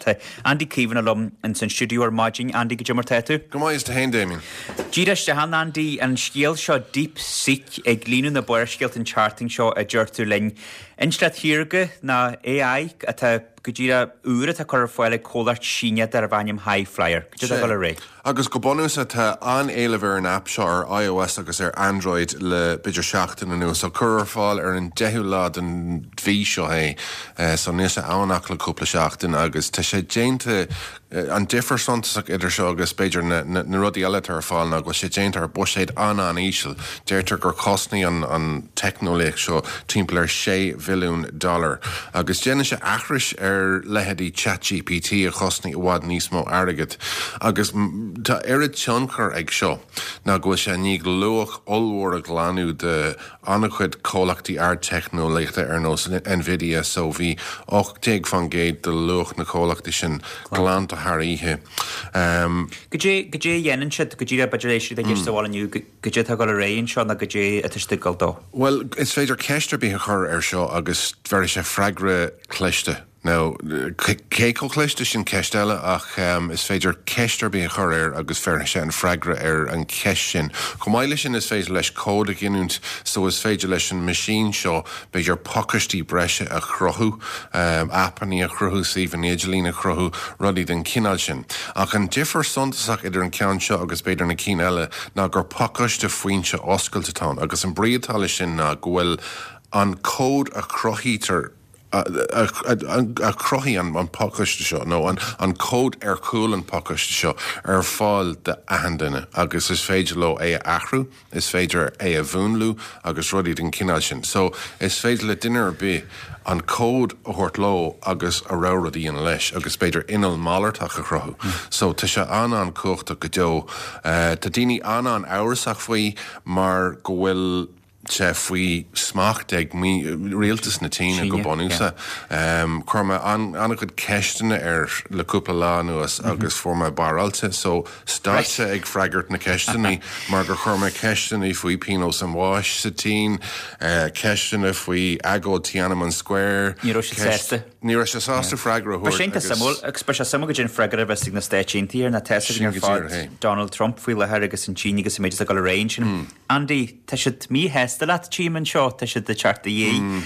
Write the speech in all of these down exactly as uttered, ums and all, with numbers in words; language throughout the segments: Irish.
Tá Andy Caomhánach liom ins an stiúideo ar maidin. Andy, goidé mar tá tú? Go maith is tú féin, Damien. Díreach isteach, Andy, an scéal seo DeepSeek ag líonadh na barrscéalta an tseachtain seo, a deir tú linn. Intleacht Shaorga ná A I atá go díreach úr atá curtha ar fáil ag comhlacht Síneach darb ainm High Flyer. Goidé atá ag dul ar aghaidh? Agus go bunúsach tá an-éileamh ar an app seo ar iOS agus ar Android le b'fhéidir seachtain anuas. So cuireadh ar fáil ar an deichiú lá den mhí seo é, so níl sé ann ach le cúpla seachtain, agus tá sé déanta, an difear suntasach idir seo agus b'fhéidir na, na, na rudaí eile atá ar fáil ná go bhfuil sé déanta ar buiséad an-an-íseal. Deirtear gur chosnaigh an, an teicneolaíocht seo timpeall ar sé bhilliún dollar. Agus déanann sé aithris ar leithéidí Chat G P T a chosnaigh i bhfad níos mó airgid. Agus tá oiread tionchar ag seo ná go bhfuil sé i ndiaidh luach ollmhór a ghlanadh de an-chuid comhlachtaí ardteicneolaíochta ar nós Nvidia, so bhí ocht déag faoin gcéad de luach na comhlachtaí sin glanta thar oíche. Um, Goidé goidé a dhéanann siad go díreach, b'fhéidir é siad ag éisteacht sa bhaile inniu, goidé atá ag dul ar aghaidh anseo nó goidé atá siad ag dul dó? Well, is féidir ceist ar bith a chur ar seo agus bheirfidh sé freagra cliste. Now, cé chomh cliste sin, ceist eile, ach um, is féidir ceist ar bith a chur air agus bheirfidh sé an freagra ar an cheist sin. Chomh maith leis sin, is féidir leis cód a ghiniúint, so is féidir leis an machine seo b'fhéidir pacáistí breise a chruthú, um, aipeanna a chruthú, suíomhanna idirlín a chruthú, rudaí den chineál sin. Ach an difear suntasach idir an ceann seo agus b'fhéidir na cinn eile ná gur pacáiste foinse oscailte atá ann, agus an brí atá leis sin ná go bhfuil an cód a chruthaítear a, a, a, a chruthaigh an, an pacáiste seo nó an, an cód ar chúl an pacáiste seo ar fáil d'achan duine agus is féidir leo é a athrú, is féidir é a mhúnlú agus rudaí den chineál sin. So is féidir le duine ar bith an cód a thabhairt leo agus a rogha rud a dhéanamh leis agus b'fhéidir inneall malartach a chruthú. Mm. So tá sé an-an-chumhachtach go deo. Uh, tá daoine an-an-amhrasach faoi mar go bhfuil sé faoi smacht ag rialtas na Síne go bunúsach. Um, Chuir mé an-chuid ceisteanna air le cúpla lá anuas mm -hmm. agus fuair mé barráilte, so stad sé ag freagairt na ceisteanna mar gur chuir mé ceisteanna faoi pionós an bháis sa tSín, uh, ceisteanna faoi agóid Tiananmen Square. Ní raibh sé sásta. Ní raibh sé sásta freagra a thabhairt. Sin agus ba sé suimiúil go dtí freagra a bheas ag na Stáit Aontaithe ar na teasa ar fad Donald Trump faoi láthair agus an tSín agus an méid go réin sin. Mm. Andy, tá siad míshásta leat tím anseo, tá siad de teart a dhé. Mm.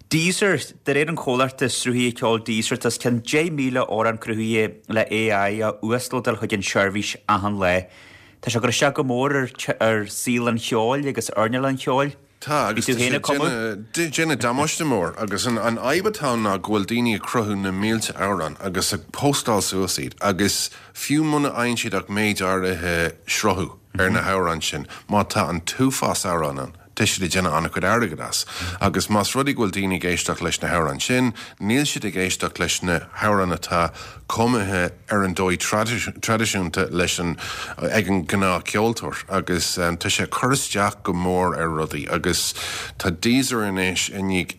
Deezer, de réir an chomhlachta sruthaithe ceoil Deezer, tá cionn deich míle amhrán cruthaithe le A I á uaslódáil chuig an seirbhís achan lá. Tá sé ag cur isteach go mór ar, ar saol an cheoil agus earnáil an cheoil. Tá, agus déanamh damáiste mór agus an an fhadhb atá ná go bhfuil daoine ag cruthú na mílte amhrán agus ag postáil suas iad, agus fiú muna fhaigheann siad ach méid áirithe sruthú ar na hamhráin sin, má tá an t-uafás amhrán ann, tá siad ag déanamh an-chuid airgead as. Agus más rud é go bhfuil daoine ag éisteacht leis na hamhráin sin, níl siad ag éisteacht leis na hamhráin atá cumtha ar an dóigh traidisiúnta leis an ag an ngnáthcheoltóir, agus um, tá sé cur isteach go mór ar rudaí agus tá Deezer anois i ndiaidh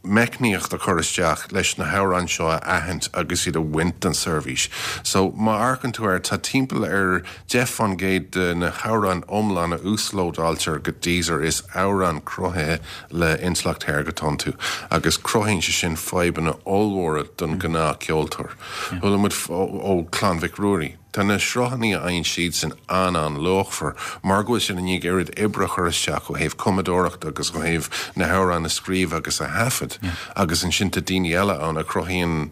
meicníocht a chur isteach leis na hamhráin seo a aithint agus iad a bhaint den seirbhís. So má amharcann tú air, tá timpeall ar deich faoin gcéad de na hamhráin iomlán a uaslódáiltear go Deezer, is amhráin cruthaithe le intleacht shaorga atá iontu, agus cruthaíonn sé sin fadhbanna ollmhóra don ghnáthcheoltóir. Chuala muid ó Clann Mhic Ruairí. Tá na sruthanna a fhaigheann siad sin an-an-luachmhar mar go bhfuil sin i ndiaidh oiread oibre a chur isteach ó thaobh cumadóireachta agus ó thaobh na hamhráin a scríobh agus a thaifead, agus ansin tá daoine eile ann a chruthaíonn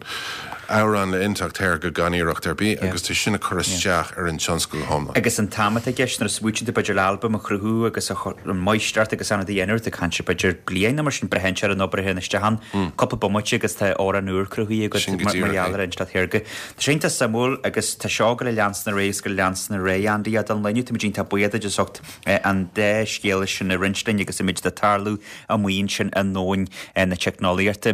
amhrán le intleacht shaorga gan iarracht ar bith, agus tá sin ag cur isteach ar an tionscal hiomlán. Agus an t-am atá i gceist nuair a smaoiníonn tú b'fhéidir le albam a chruthú agus an máistreacht agus an a dhéanamh, tá caint b'fhéidir bliain nó mar sin, braitheann sé ar an obair a théann isteach ann, cúpla bomaite agus tá amhrán úr cruthaithe agat mar gheall ar intleacht shaorga. Tá sé iontach suimiúil agus tá seo go le leanstan ar aghaidh go leanstan ar aghaidh, Andy, don lá inniu. Táimid iontach buíoch duit as ucht an dá scéal sin a roinnt linn agus an méid atá ag tarlú amuigh ansin i ndomhan na teicneolaíochta.